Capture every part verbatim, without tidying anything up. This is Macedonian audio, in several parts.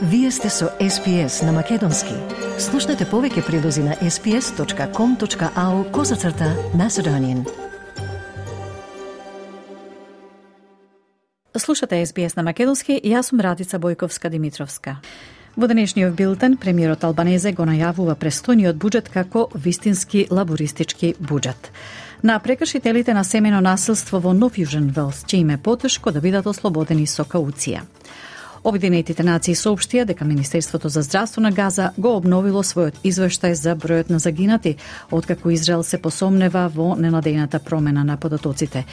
Вие сте со Ес Би Ес на Македонски. Слушнете повеќе прилози на ес би ес точка ком точка ау козацрта Macedonian. Слушате Ес Би Ес на Македонски, јас сум Радица Бојковска-Димитровска. Во денешниот билтен, премиерот Албанезе го најавува престојниот буџет како вистински лабористички буџет. На прекршителите на семено насилство во Нов Јужен Велс ќе им е потешко да бидат ослободени со кауција. Обединетите нации соопштија дека Министерството за здравство на Газа го обновило својот извештај за бројот на загинати, откако Израел се посомнева во ненадејната промена на податоците.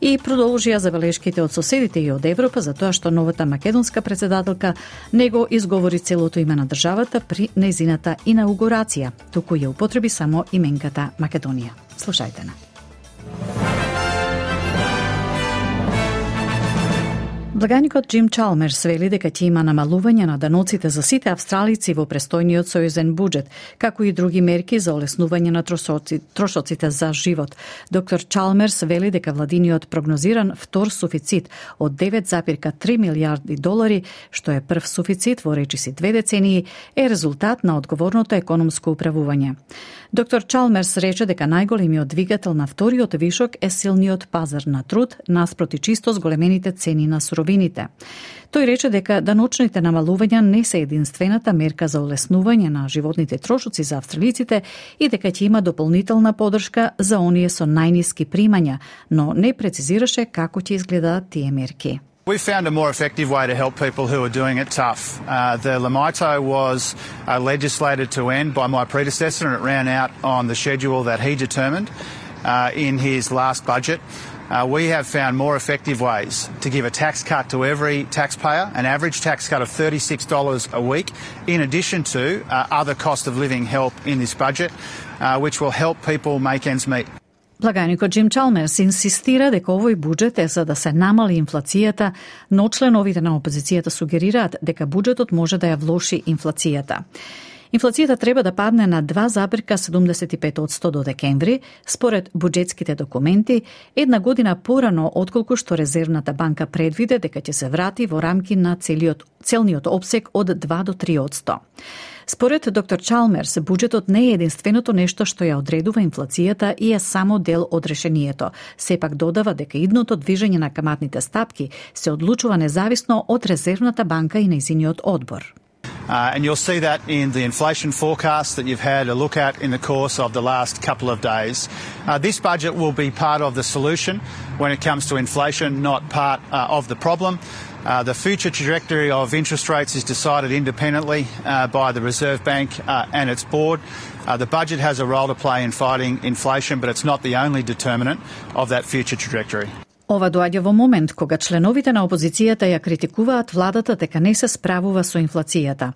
И продолжија забелешките од соседите и од Европа за тоа што новата македонска председателка не го изговори целото име на државата при нејзината инаугурација, туку ја употреби само именката Македонија. Слушајте на. Благаникот Джим Чалмерс вели дека ќе има намалување на даноците за сите австралици во престојниот сојузен буџет, како и други мерки за олеснување на трошоци, трошоците за живот. Доктор Чалмерс вели дека владиниот прогнозиран втор суфицит од девет запирка три милијарди долари, што е прв суфицит во речиси две децении, е резултат на одговорното економско управување. Доктор Чалмерс рече дека најголемиот двигател на вториот вишок е силниот пазар на труд наспроти чисто зголемените цени на суровините. Тој рече дека даночните намалувања не се единствената мерка за олеснување на животните трошоци за австралиците и дека ќе има дополнителна подршка за оние со најниски примања, но не прецизираше како ќе изгледаат тие мерки. We found a more effective way to help people who are doing it tough. Uh, the Lamito was uh, legislated to end by my predecessor, and it ran out on the schedule that he determined uh, in his last budget. Uh, we have found more effective ways to give a tax cut to every taxpayer, an average tax cut of thirty-six dollars a week, in addition to uh, other cost of living help in this budget, uh, which will help people make ends meet. Благаникот Джим Чалмерс инсистира дека овој буџет е за да се намали инфлацијата, но членовите на опозицијата сугерираат дека буџетот може да ја влоши инфлацијата. Инфлацијата треба да падне на два запирка седумдесет и пет одсто до декември, според буџетските документи, една година порано отколку што Резервната банка предвиде дека ќе се врати во рамки на целиот, целниот опсек од два до три одсто. Според доктор Чалмерс, буџетот не е единственото нешто што ја одредува инфлацијата и е само дел од решението. Сепак додава дека идното движење на каматните стапки се одлучува независно од Резервната банка и нејзиниот одбор. Uh, and you'll see that in the inflation forecast that you've had a look at in the course of the last couple of days. Uh, this budget will be part of the solution when it comes to inflation, not part uh, of the problem. Uh, the future trajectory of interest rates is decided independently uh, by the Reserve Bank uh, and its board. Uh, the budget has a role to play in fighting inflation, but it's not the only determinant of that future trajectory. Ова доаѓа во момент кога членовите на опозицијата ја критикуваат владата дека не се справува со инфлацијата.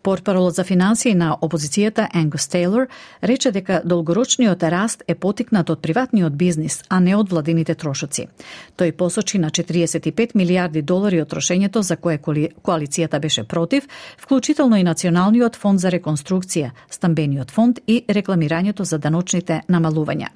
Портпаролот за финансии на опозицијата Ангус Тейлор рече дека долгорочниот раст е потикнат од приватниот бизнис, а не од владините трошоци. Тој посочи на четириесет и пет милијарди долари од трошењето за кое коалицијата беше против, вклучително и Националниот фонд за реконструкција, Стамбениот фонд и рекламирањето за даночните намалувања.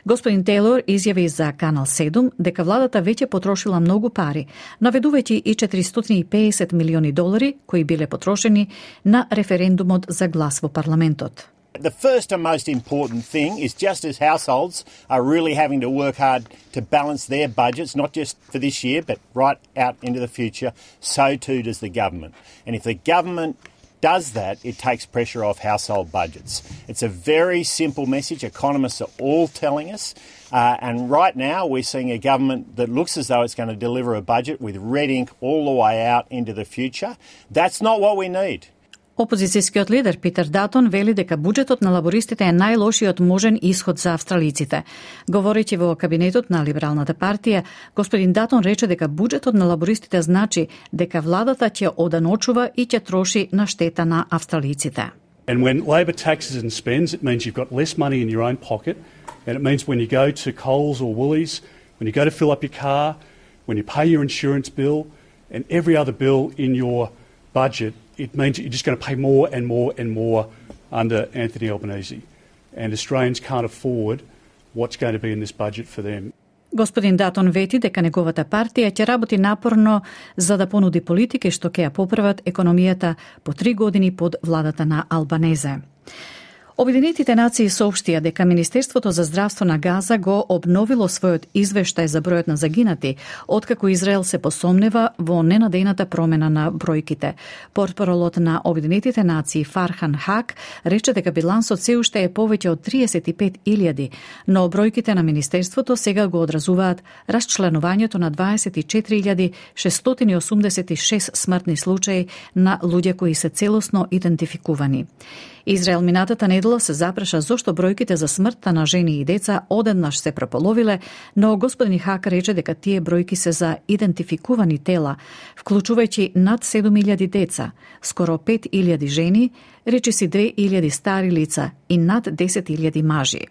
Господин Тейлор изјави за Канал седум дека владата веќе потрошила многу пари, наведувајќи и четиристотини и педесет милиони долари кои биле потрошени на референдумот за глас во парламентот. The first and most important thing is just as households are really having to work hard to balance their budgets, not just for this year, but right out into the future, so too does the government. And if the government does that, it takes pressure off household budgets. It's a very simple message. Economists are all telling us. Uh, and right now we're seeing a government that looks as though it's going to deliver a budget with red ink all the way out into the future. That's not what we need. Опозицијскиот лидер Питер Датон вели дека буџетот на лабористите е најлошиот можен исход за австралиците. Говорејќи во кабинетот на Либералната партија, господин Датон рече дека буџетот на лабористите значи дека владата ќе оданочува и ќе троши на штета на австралиците. And when Labor taxes and spends, it means you've got less money in your own pocket, and it means when you go to Coles or Woolies, when you go to fill up your car, when you pay your insurance bill, and every other bill in your budget, it means that you're just going to pay more and more and more under Anthony Albanese. And Australians can't afford what's going to be in this budget for them. Господин Датон вети дека неговата партија ќе работи напорно за да понуди политики што ќе ја поправат економијата по три години под владата на Албанезе. Обединетите нации соопштија дека Министерството за здравство на Газа го обновило својот извештај за бројот на загинати, откако Израел се посомнева во ненадејната промена на бројките. Портпаролот на Обединетите нации Фархан Хак рече дека билансот се уште е повеќе од триесет и пет илјади, но бројките на Министерството сега го одразуваат расчленувањето на дваесет и четири илјади шестстотини и осумдесет и шест смртни случаи на луѓе кои се целосно идентификувани. Израел минатата недела се запраша зошто бројките за смртта на жени и деца одеднаш се прополовиле, но господин Хак рече дека тие бројки се за идентификувани тела, вклучувајќи над седум илјади деца, скоро пет илјади жени, речиси две илјади стари лица и над десет илјади мажи.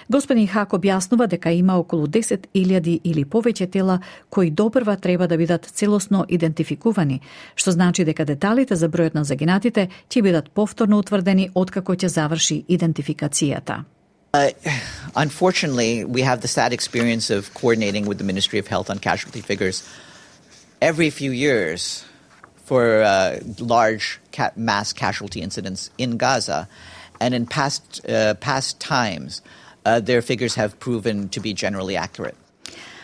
Господин Хак објаснува дека има околу десет илјади или повеќе тела кои допрва треба да бидат целосно идентификувани, што значи дека деталите за бројот на загинатите ќе бидат повторно утврдени откако ќе заврши идентификацијата. Uh, unfortunately, we have the sad experience of coordinating with the Ministry of Health on casualty figures every few years for uh, large ca- mass casualty incidents in Gaza, and in past uh, past times, uh, their figures have proven to be generally accurate.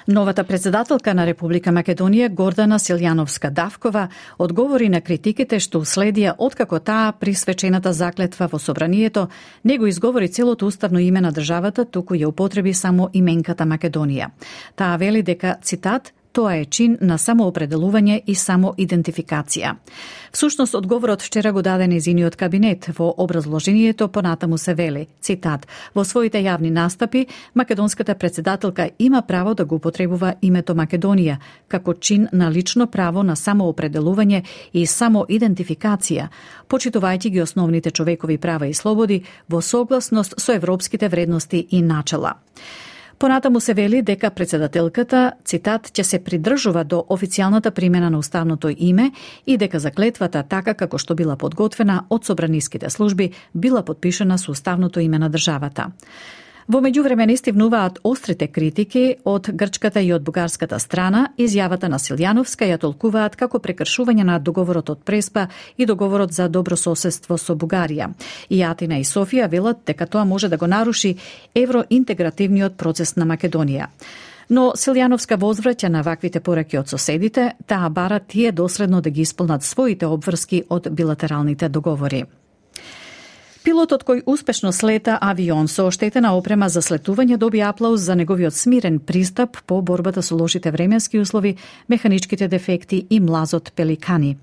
Новата председателка на Република Македонија Гордана Силјановска-Давкова одговори на критиките што уследија откако таа при свечената заклетва во собранието не го изговори целото уставно име на државата, туку ја употреби само именката Македонија. Таа вели дека, цитат, тоа е чин на самоопределување и самоидентификација. Всушност, одговорот вчера го даде нејзиниот кабинет. Во образложението понатаму се вели, цитат, во своите јавни настапи, македонската председателка има право да го употребува името Македонија, како чин на лично право на самоопределување и самоидентификација, почитувајќи ги основните човекови права и слободи во согласност со европските вредности и начела. Понатаму се вели дека председателката, цитат, ќе се придржува до официјалната примена на уставното име и дека заклетвата, така како што била подготвена од собраниските служби, била подпишана со уставното име на државата. Во меѓувреме не стивнуваат острите критики од грчката и од бугарската страна. Изјавата на Силјановска ја толкуваат како прекршување на договорот од Преспа и договорот за добрососедство со Бугарија. И Атина и Софија велат дека тоа може да го наруши евроинтегративниот процес на Македонија. Но Силјановска возвраќа на ваквите пораки од соседите, таа бара тие доследно да ги исполнат своите обврски од билатералните договори. Пилотот кој успешно слета авион со оштетена опрема за слетување доби аплауз за неговиот смирен пристап по борбата со лошите временски услови, механичките дефекти и млазот пеликани.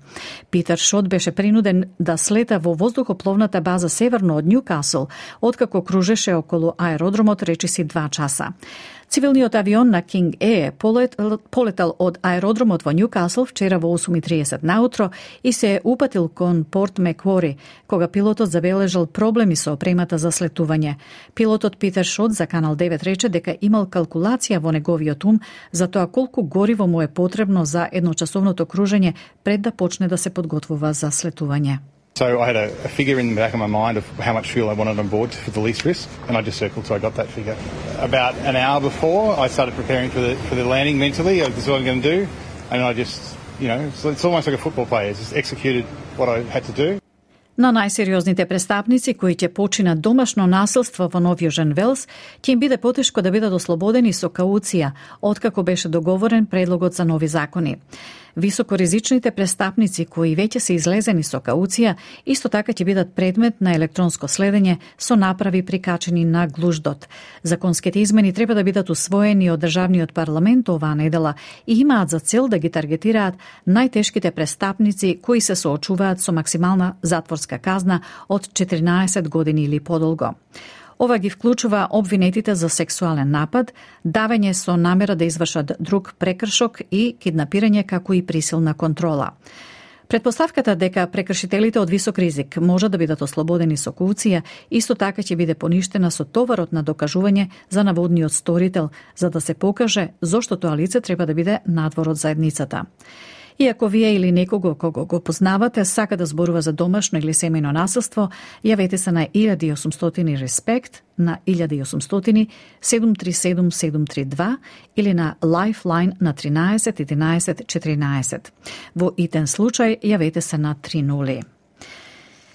Питер Шот беше принуден да слета во воздухопловната база северно од Њукасл, откако кружеше околу аеродромот речиси два часа. Цивилниот авион на King Air полетал од аеродромот во Њукасл вчера во осум и триесет наутро и се упатил кон Порт Меквори, кога пилотот забележал проблеми со опремата за слетување. Пилотот Питер Шот за Канал девет рече дека имал калкулација во неговиот ум за тоа колку гориво му е потребно за едночасовното кружење пред да почне да се подготвува за слетување. So I had a, a figure in the back of my mind of how much fuel I wanted on board for the least risk, and I just circled so I got that figure. About an hour before, I started preparing for the for the landing mentally. This is what I'm going to do, and I just, you know, it's, it's almost like a football player. Just executed what I had to do. На најсериозните престапници кои ќе починат домашно насилство во Нов Јужен Велс, ќе им биде потешко да бидат ослободени со кауција, откако беше договорен предлогот за нови закони. Високоризичните престапници кои веќе се излезени со кауција, исто така ќе бидат предмет на електронско следење со направи прикачени на глуждот. Законските измени треба да бидат усвоени од државниот парламент оваа недела и имаат за цел да ги таргетираат најтешките престапници кои се соочуваат со максимална затворска казна од четиринаесет години или подолго. Ова ги вклучува обвинетите за сексуален напад, давење со намера да извршат друг прекршок и киднапирање како и присилна контрола. Предпоставката дека прекршителите од висок ризик може да бидат ослободени со кауција, исто така ќе биде поништена со товарот на докажување за наводниот сторител, за да се покаже зошто тоа лице треба да биде надвор од заедницата. И ако вие или некого кого го познавате сака да зборува за домашно или семејно насилство, јавете се на еден осумстотини респект на еден осумстотини седум три седум седум три два или на Lifeline на тринаесет единаесет четиринаесет. Во итен случај јавете се на три нули.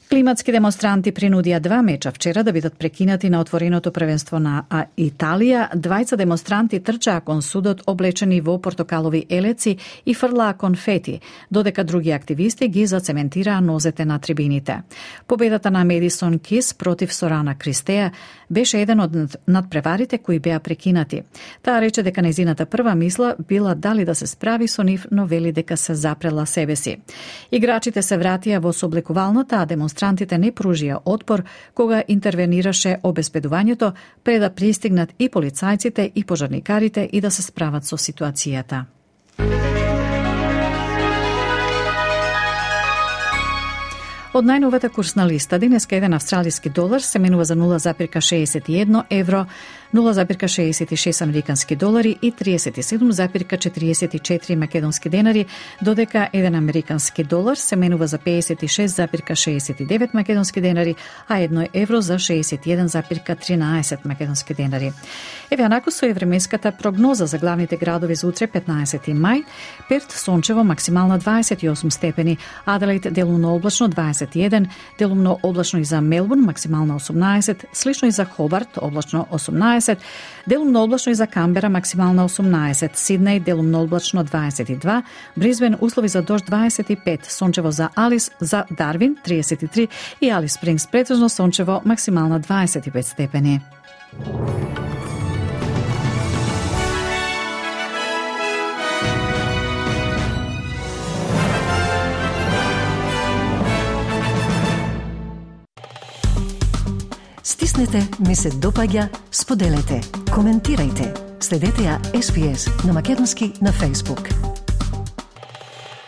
Климатски демонстранти принудија два меча вчера да бидат прекинати на отвореното првенство на Италија. Двајца демонстранти трчаа кон судот облечени во портокалови елеци и фрлаа конфети, додека други активисти ги зацементираа нозете на трибините. Победата на Медисон Кис против Сорана Кристеја беше еден од надпреварите кои беа прекинати. Таа рече дека нејзината прва мисла била дали да се справи со нив, но вели дека се запрела себе си. Играчите се вратија во сооблекувалната, а демонстрантите не пружија отпор кога интервенираше обезбедувањето пред да пристигнат и полицајците и пожарникарите и да се справат со ситуацијата. Од најновата курсна листа, денеска еден австралиски долар се менува за нула запирка шеесет и едно евро, нула запирка шеесет и шест американски долари и триесет и седум запирка четириесет и четири македонски денари, додека еден американски долар се менува за пеесет и шест запирка шеесет и девет македонски денари, а едно евро за шеесет и еден запирка тринаесет македонски денари. Еве анаку со временската прогноза за главните градови за утре петнаесети мај, Перт сончево максимална дваесет и осум степени, Аделаид делумно облачно дваесет и еден, делумно облачно и за Мелбурн максимална осумнаесет, слично и за Хобарт облачно осумнаесет, делумно облачно и за Камбера максимална осумнаесет, Сиднеј делумно облачно дваесет и два, Брисбен услови за дожд дваесет и пет, сончево за Алис, за Дарвин триесет и три и Алис Спрингс претежно сончево максимална дваесет и пет степени. Стиснете, ми се допаѓа, споделете, коментирајте. Следете ја Ес Би Ес на македонски на Facebook.